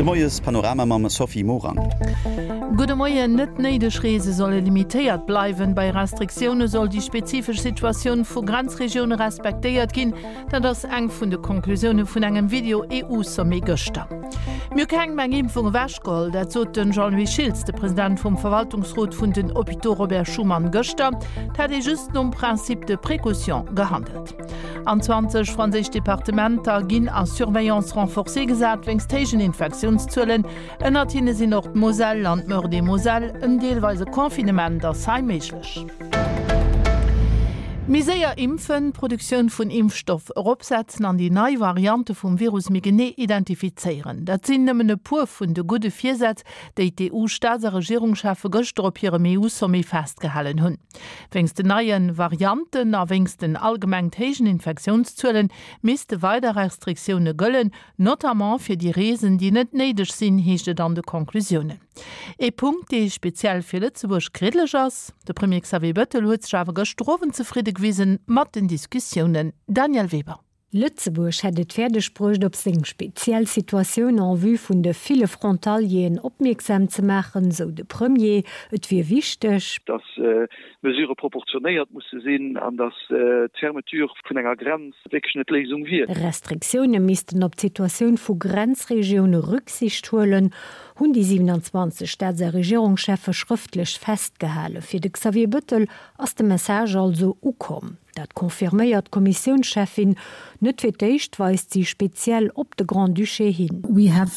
De Moies-Panorama mam Sophie Morang. Gudde Moien. Net néideg Reese solle limitéiert bleiwen. Bei Restriktioune soll déi spezifesch Situatioun vu Grenzregioune respektéiert ginn. Dat ass eng vun de Konklusioune vun engem Video-EU-Sommet gëschter. Mir hu kengem eng Impfung ewechgeholl. Dat sot de Jean-Louis Schiltz, de President vum Verwaltungsrot vun den Hôpitaux Robert Schuman gëschter. Et hätt ee just nom Principe de précaution gehandelt. An 20 franséisch Departementer ginn a Surveillance renforcée gesat wéinst héijen Infektiounszuelen. Ënnert hinne sinn och d'Moselle an d'Meurthe-et-Moselle. En deelweise Confinement ass hei méiglech. Méi séier impfen, d'Produktioun vun Impfstoff eropsetzen an déi nei Variante vum Virus méi genee identifizéieren, dat sinn nëmmen e puer vun de gudde Virsätz, déi d'EU-Staats a Regierungscheffe gëschter op hirem EU-Sommet festgehalen hunn. Wéinst den neie Varianten a wéinst den allgemengt héijen Infektiounszuelen misste weider Restriktioune gëllen, notamment fir déi Reesen, déi net néideg sinn, heescht et an de Conclusiounen. Ee Punkt, dee speziell fir Lëtzebuerg kriddeleg ass. De Premier Xavier Bettel huet sech awer gëschter Owend zefridde gewisen mat den Diskussiounen. Danièle Weber. Lëtzebuerg hätt et fäerdeg bruecht, op seng speziell Situatioun en vue vun de ville Frontalieren opmierksam ze maachen, sou de Premier. Et wier wichteg. Datt Mesurë proportionéiert musse sinn an datt d'Fermeture vun enger Grenz wierklech net d'Léisung wier. Restriktioune missten op d'Situatioun vu Grenzregioune Rücksicht huelen, hunn déi 27 Staats a Regierungscheffe schrëftlech festgehalen. Fir de Xavier Bettel ass de Message also ukomm. Dat confirméiert d'Kommissiounscheffin. Net fir d'éischt weist si speziell op de Grand-Duché hin. We have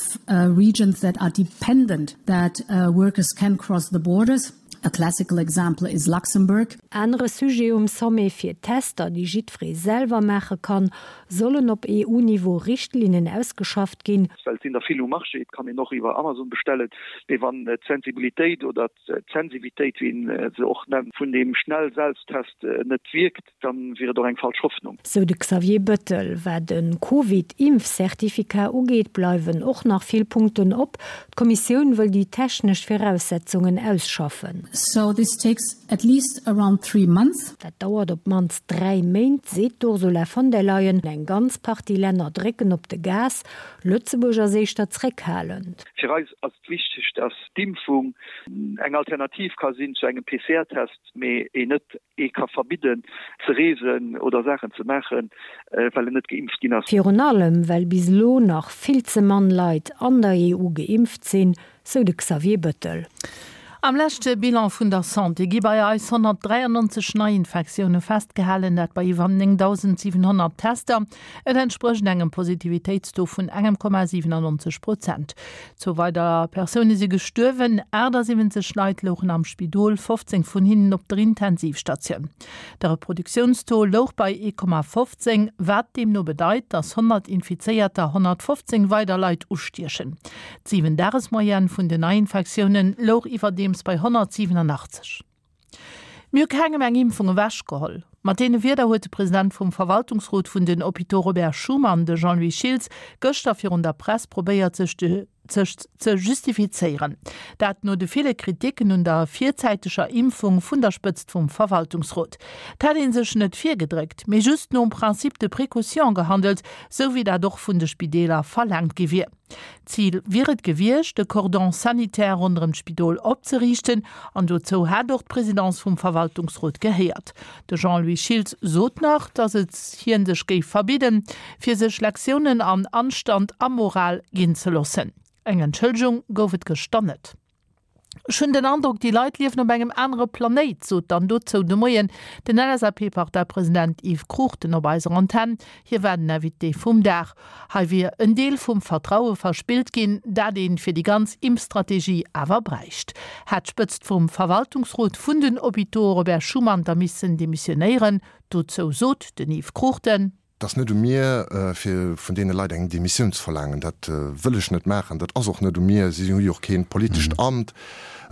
regions that are dependent that workers can cross the borders. A classical example is Luxembourg. Anere Sujet um Sommet, Fir Tester, déi jiddweree selwer maache kann, sollen op EU-Niveau Richtlinnen ausgeschafft ginn. Well et sinn der vill um Marché, et kann een och iwwer Amazon bestellen, mee wann d'Sensibilitéit oder d'Sensivitéit, wéi een se och nennt, vun deem Schnell-Selbsttest net wierkt, da wier et och eng falsch Hoffnung. Sou de Xavier Bettel. Wat e Covid-Impfcertificat ugeet, bleiwen och nach vill Punkten op. D'Kommissioun wëll déi technesch Viraussetzungen ausschaffen. So this takes at least around three months. Dat dauert op d'mannst 3 Méint, seet d'Ursula von der Leyen. Eng ganz Partie Länner drécken op de Gas, Lëtzebuerg ass éischter zréckhalend. Fir eis ass et wichteg, dass d'Impfung eng Alternativ ka sinn zu engem PCR-Test, mee een net ee ka verbidden ze reesen oder Saachen ze maachen, well en net geimpft ginn ass. Virun allem, well bis elo nach vill ze mann Leit an der EU geimpft sinn, sou de Xavier Bettel. Am leschte Bilan vun der Santé gi bei eis 193 Neiinfektioune festgehalen, dat bei iwwer 9.700 Tester. Et entsprécht engem Positivitéitstaux vun engem Komma 97 Prozent. Zwou weider Persoune si gestuerwen, 78 Leit louchen am Spidol, 15 vun hinnen op der Intensivstatioun. De Reproduktiounstaux louch bei 1,15, wat deemno bedeit, datt 100 Infizéierter 115 weider Leit ustiechen. D'Siwen-Dages-Moyenne vun den Neiinfektioune louch iwwerdeems bei 187. Mir hu kengem eng Impfung ewechgeholl. Mat deene Wierder huet de President vum Verwaltungsrot vun den Hôpitaux Robert Schuman, de Jean-Louis Schiltz, gëschter virun der Press probéiert sech de sech ze justifizéieren. Dat no de ville Kriticken un der virzäiteger Impfung vun der Spëtzt vum Verwaltungsrot. Et hätt ee sech net virgedréckt, mee just nom Principe de précaution gehandelt, sou wéi dat och vun de Spideeler verlaangt gi wier. D'Zil wier et gewiescht, e Cordon sanitaire ronderëm d'Spidol opzeriichten an dozou hätt och d'Presidence vum Verwaltungsrot gehéiert. De Jean-Louis Schiltz sot nach, datt et hien sech géif verbidden, fir sech Lektiounen an Anstand a Moral ginn ze loossen. Eng Entschëllegung gouf et gëschter net. Ech hunn den Androck, déi Leit liewen op engem anere Planéit, sot dann dozou de Moien den LSAP-Parteipresident Yves Cruchten op eiser Antenn. Hie war den Invité vum Dag. Hei wier en Deel vum Vertraue verspillt ginn, dat ee fir déi ganz Impfstrategie awer bräicht. Hätt d'Spëtzt vum Verwaltungsrot vun den Hôpitaux Robert Schuman da missen demissionéieren? Dozou sot den Yves Cruchten. Et ass net u mir, fir vun deene Leit eng Demissioun ze verlaangen. Dat wëll ech net maachen. Dat ass och net u mir. Si hu jo och kee politescht Amt.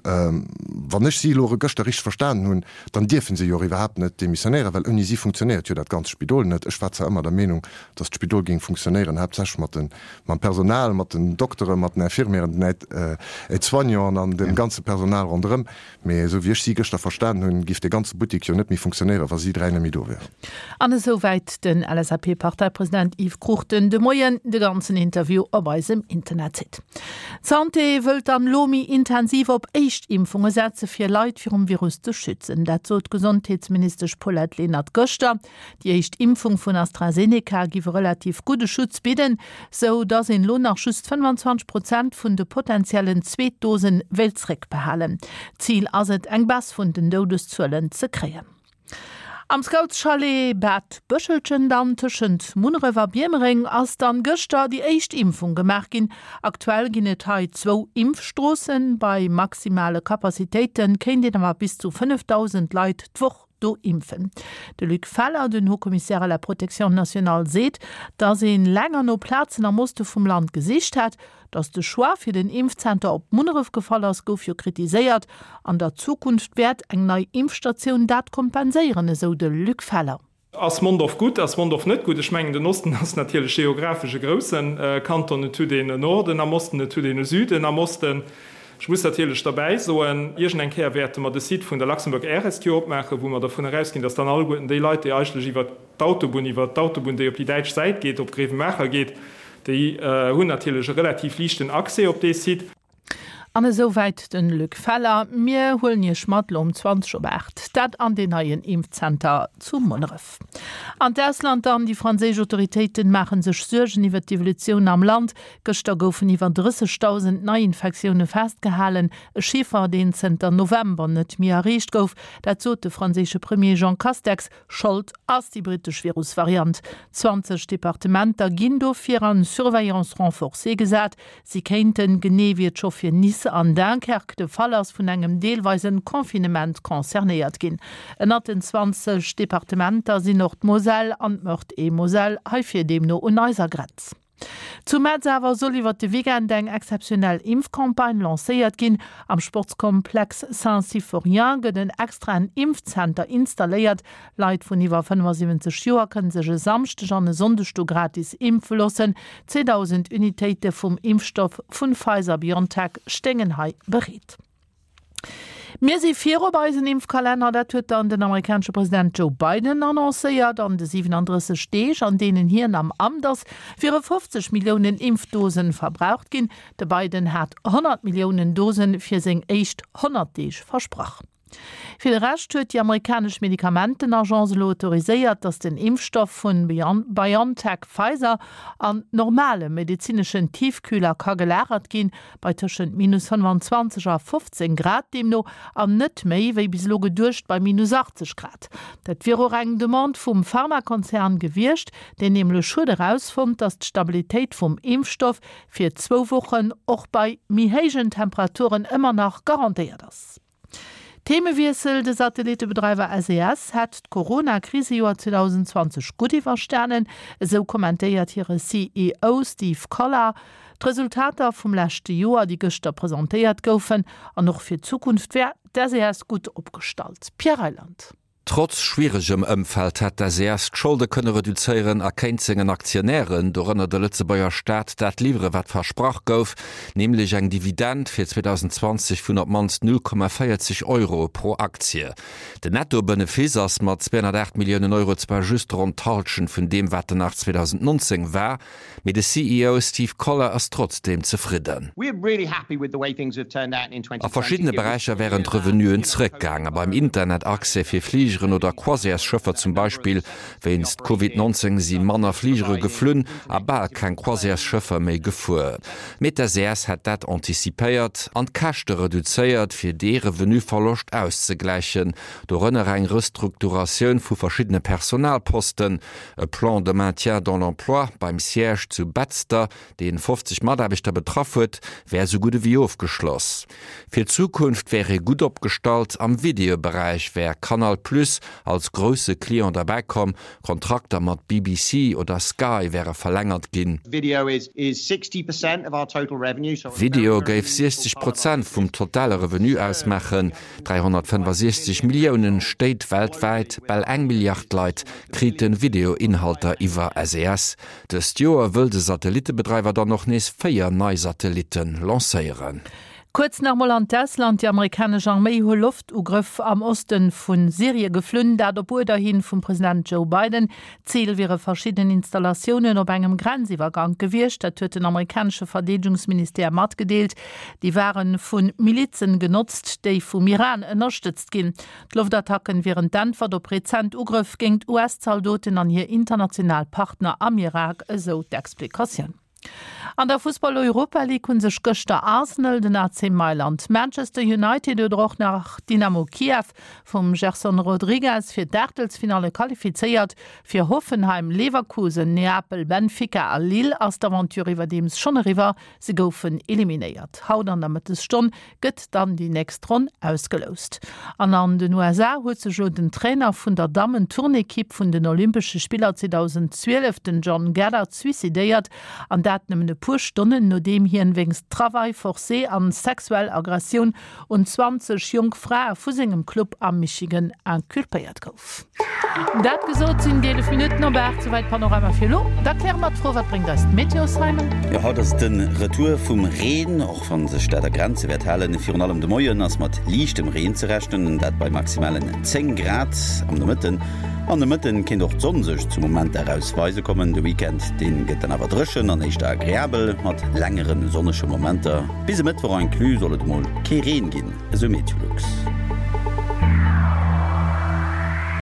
Wann ech si elo gëschter richteg verstanen hunn, dann dierfe se jo och iwwerhaapt net demissionéieren, well ouni si funktionéiert jo dat ganzt Spidol net. Ech war zwar ëmmer der Meenung, datt d'Spidol géing funktionéieren, haaptsächlech mat de, mam Personal, mat den Dokteren, mat den Infirmieren, den Aide-soignanten an dem ganze Personal ronderëm. Mee esou wéi ech si gëschter verstanen hunn, giff dee ganze Buttik jo net méi funktionéieren, wa si 3 net méi do wären. An esou wäit den LSAP. LSAP-Parteipresident Yves Cruchten de Moien. De ganzen Interview op eisem Internetsite. D'Santé wëllt dann elo méi intensiv op Éischtimpfunge setze fir Leit virum Virus ze schützen. Dat sot d'Gesondheetsministesch Paulette Lenert gëschter. Déi éischt Impfung vun AstraZeneca giff e relativ gudde Schutz bidden, sou datt een elo nach just 25 Prozent vun de potentiellen Zweetdose wéilt zréckbehalen. Zil ass et, eng Baisse vun den Doudeszuelen ze kréien. Am Scoutschalet Bad Bëschelchen dann, tëschent Munneref a Biermereng, ass dann gëschter déi éischt Impfung gemaach ginn. Aktuell ginn et hei zwou Impfstroossen. Bei maximale Capacitéite kéint een awer bis zu 5.000 Leit d'Woch do impfen. De Luc Feller, den Haut-Commissaire à la protection nationale, seet, datt een länger no Plazen am Oste vum Land gesicht hätt. Datt de Choix fir den Impfzenter op Munneref gefall ass, gouf jo kritiséiert. An der Zukunft wäert eng nei Impfstatioun dat kompenséieren, esou de Luc Feller. Ass Mondorf gutt, ass Mondorf net gutt? Ech mengen, den Osten ass natierlech geographesch e grousse Kanton. Et huet een e Norden am Osten, et huet een e Süden am Osten. Ech muss natierlech derbäi soen, iergend eng Kéier wäerte mer de Site vun der Luxembourg Air Rescue opmaachen, wou mer dervun erausginn, dass dann alleguerten déi Leit, déi eigentlech iwwert d'Autobunn, iwwert d'Autobunn, déi op déi däitsch Säit geet, op Grevenmacher geet, déi hunn natierlech e relativ liichten Accès op dee Site. An esou wäit den Luc Feller. Mir huelen Iech mat lo um 20 op 8, dat an deen neien Impfzenter zu Munneref. An d'Ausland dann, Déi franséisch Autoritéiten maachen sech Suergen iwwer d'Evolutioun am Land. Gëschter goufen iwwer 30.000 Neiinfektioune festgehalen, e Chiffer, deen zënter November net méi erreecht gouf. Dat sot de franséische Premier Jean Castex. Schold ass déi brittesch Virusvariant. 20 Departementer ginn dofir an Surveillance renforcée gesat. Si kéinten, genee wéi et scho fir Nice an Dunkerque de Fall ass, vun engem deelweisen Confinement concernéiert ginn. Ënnert den 20 Departementer sinn och d'Moselle an d'Meurthe-et-Moselle, heifir deemno un eiser Grenz. Zu Metz awer soll iwwert de Weekend eng exzeptionell Impfcampagne lancéiert ginn. Am Sportskomplex Saint-Symphorien gëtt en extraen Impfzenter installéiert. Leit vun iwwer 75 Joer kënne sech e Samschdeg an e Sonndeg do gratis impfe loossen. 2.000 Unitéite vum Impfstoff vun Pfizer-BioNTech stéingen hei bereet. Mir si viru bei eisen Impfkalenner, dat huet dann den amerikanesche President Joe Biden annoncéiert. An de 37 Deeg, an deenen hien am Amt ass, wiere 50 Milliounen Impfdosen verbraucht ginn. De Biden hat 100 Milliounen Dosen fir seng éischt 100 Deeg versprach. Fir de Rescht huet déi amerikanesch Medikamentenagence elo autoriséiert, datt den Impfstoff vun BioNTech-Pfizer an normale medezineschen Tiefkühler ka gelagert ginn, bei tëschent minus 25 a 15 Grad deemno, an net méi, wéi bis elo geduecht, bei minus 80 Grad. Dat wier och eng Demande vum Pharmakonzern gewiescht, deen nämlech huet erausfonnt, datt d'Stabilitéit vum Impfstoff fir zwou Wochen och bei méi héijen Temperaturen ëmmer nach garantéiert ass. Themewiessel, De Satellittebedreiwer SES hätt d'Corona-Krisejoer 2020 gutt iwwerstanen, esou kommentéiert hire CEO Steve Collar d'Resultater vum leschte Joer, déi gëschter presentéiert goufen. An och fir d'Zukunft wär d'SES gutt opgestallt. Pierre Reyland. Trotz schwieregem Ëmfeld hätt d'SES d'Scholde kënne reduzéieren a kéint sengen Aktionären, dorënner de Lëtzebuerger Staat, dat liwwere wat versprach gouf, nämlech eng Dividend fir 2020 vun op d'mannst 0,40 Euro pro Aktie. Den Netto-Benefice ass mat 208 Milliounen Euro zwar just ronn d'Hallschent vun deem wat en nach 2019 war, Mee de CEO Steve Collar ass trotzdeem zefridden. A verschiddene Beräicher wären d'Revenuen zeréckgaangen, beim Internetaccès fir Fligeren oder Croisièresschëffer zum Beispill. Wéinst Covid 19 si manner Fligere geflunn a bal keng Croisièresschëffer méi gefuer. Mee d'SES hätt dat anticipéiert an d'Käschte reduzéiert, fir dee Revenuverloscht auszegläichen, dorënner eng Restrukturatioun vu verschiddene Personalposten. E Plan de maintien dans l'emploi beim Siège zu Betzder, dee 50 Mataarbechter betraff huet, wär sou gutt ewéi ofgeschloss. Fir d'Zukunft wär ee gutt opgestallt. Am Videoberäich wär Canal Plus als grousse Client derbäi komm, Kontrakter mat BBC oder Sky wäre verlängert ginn. Video géif 60 Prozent vum totale Revenu ausmaachen, 365 Milliounen Stéit weltwäit, bal eng Milliard Leit kriten Videoinhalter iwwer SES. Dëst Joer wëll de Satellittebedreiwer dann och nees 4 nei Satellitten lancéieren. Kuerz nach mol an d'Ausland, Déi amerikanesch Arméi hu Loftugrëff am Oste vu Syrie geflunn, dat op Uerder hin vum President Joe Biden. Zil wiere verschidden Installatiounen op engem Grenziwwergank gewiescht, dat huet den amerikanesche Verdeedegungsministère matgedeelt. Déi ware vu Milizen genotzt, déi vum Iran ënnerstëtzt ginn. D'Loftattacken wieren d'Äntwert op rezent Ugrëff géingt US-Zaldoten an hir international Partner am Irak, esou d'Explikatioun. An der Fussball-Europa League hu sech gëschter Arsenal, den AC Mailand, Manchester United oder och nach Dynamo Kiew vum Gerson Rodrigues fir d'Aachtelsfinalle qualifizéiert. Fir Hoffenheim, Leverkusen, Neapel, Benfica a Lille ass d'Aventure iwwerdeems schonn eriwwer, se goufen eliminéiert. Haut an der Mëttesstonn gëtt dann déi nächst Ronn ausgeloust. An an den USA huet sech elo den Trainer vun der Dammen-Turnekipp vun den Olympesche Spiller 2012, den John Gaddard, suicidéiert. An dat nëmmen e puer Stonnen nodeem hien wéinst Travail forcé an sexuell Aggressioun un 20 jonk Frae vu sengem Club am Michigan inculpéiert gouf. Dat gesot sinn 11 Minutten op 8, souwäit Panorama fir elo. Da kläre mer d'Fro, Wat bréngt eis d'Meteo, Simon? Jo, haut ass et de Retour vum Reen, och wann sech dat a Grenze wäert halen. Virun allem de Moien ass mat liichtem Reen ze rechnen, dat bei maximalen 10 Grad am Nomëtten. An de Mëtten kéint och d'Sonn sech zu Momenter eraus weise kommen. De Weekend, dee gëtt dann awer dréchen an éischter agreabel, mat längere sonnege Momenter. Bis e Mëttwoch inclus soll et emol kee Reen ginn, esou Meteolux.